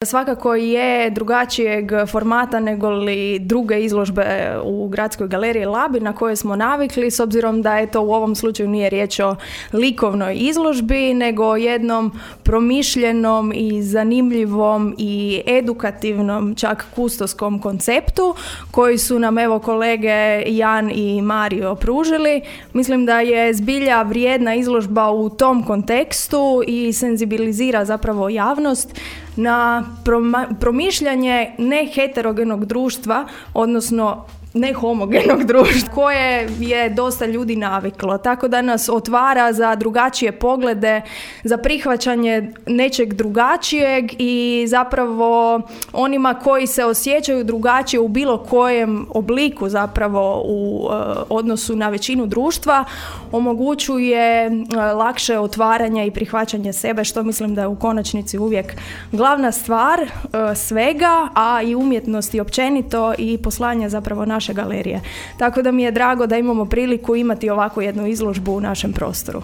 Svakako je drugačijeg formata nego li druge izložbe u Gradskoj galeriji Labi na koje smo navikli, s obzirom da je to u ovom slučaju nije riječ o likovnoj izložbi, nego o jednom promišljenom i zanimljivom i edukativnom, čak kustoskom konceptu koji su nam evo kolege Jan i Mario pružili. Mislim da je zbilja vrijedna izložba u tom kontekstu i senzibilizira zapravo javnost na promišljanje neheterogenog društva, odnosno nehomogenog društva koje je dosta ljudi naviklo. Tako da nas otvara za drugačije poglede, za prihvaćanje nečeg drugačijeg i zapravo onima koji se osjećaju drugačije u bilo kojem obliku zapravo u odnosu na većinu društva omogućuje lakše otvaranje i prihvaćanje sebe, što mislim da je u konačnici uvijek glavna stvar svega, a i umjetnosti općenito i poslanje zapravo naše galerije. Tako da mi je drago da imamo priliku imati ovakvu jednu izložbu u našem prostoru.